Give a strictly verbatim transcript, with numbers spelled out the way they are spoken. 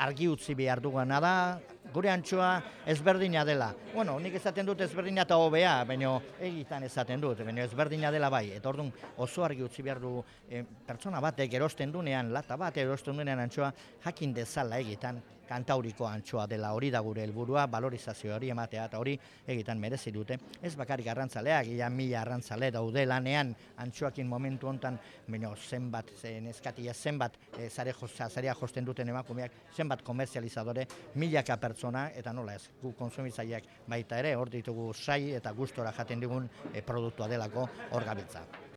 argi utzi behar duguna da, gure antxoa ezberdina dela. Bueno, nik esaten dut ezberdina eta hobea, baina egitan esaten dut, baina ezberdina dela bai. Eta orduan oso argi utzi behar du e, pertsona batek erosten dunean, lata bat erosten dunean antxoa, jakin dezala egitan kantauriko antxoa dela, hori da gure helburua, valorizazio hori ematea eta hori egitan merezi dute. Ez bakarrik arrantzaleak, ia mila arrantzale daude lanean antxoakin momentu hontan, baina zenbat, neskatia zenbat e, zarea josten duten emakumeak, zenbat komerzializadore, milaka pertsona, eta nola ez, gu konsumitzaileak baita ere, hor ditugu sai eta gustora jaten digun e, produktua delako hor gabiltza.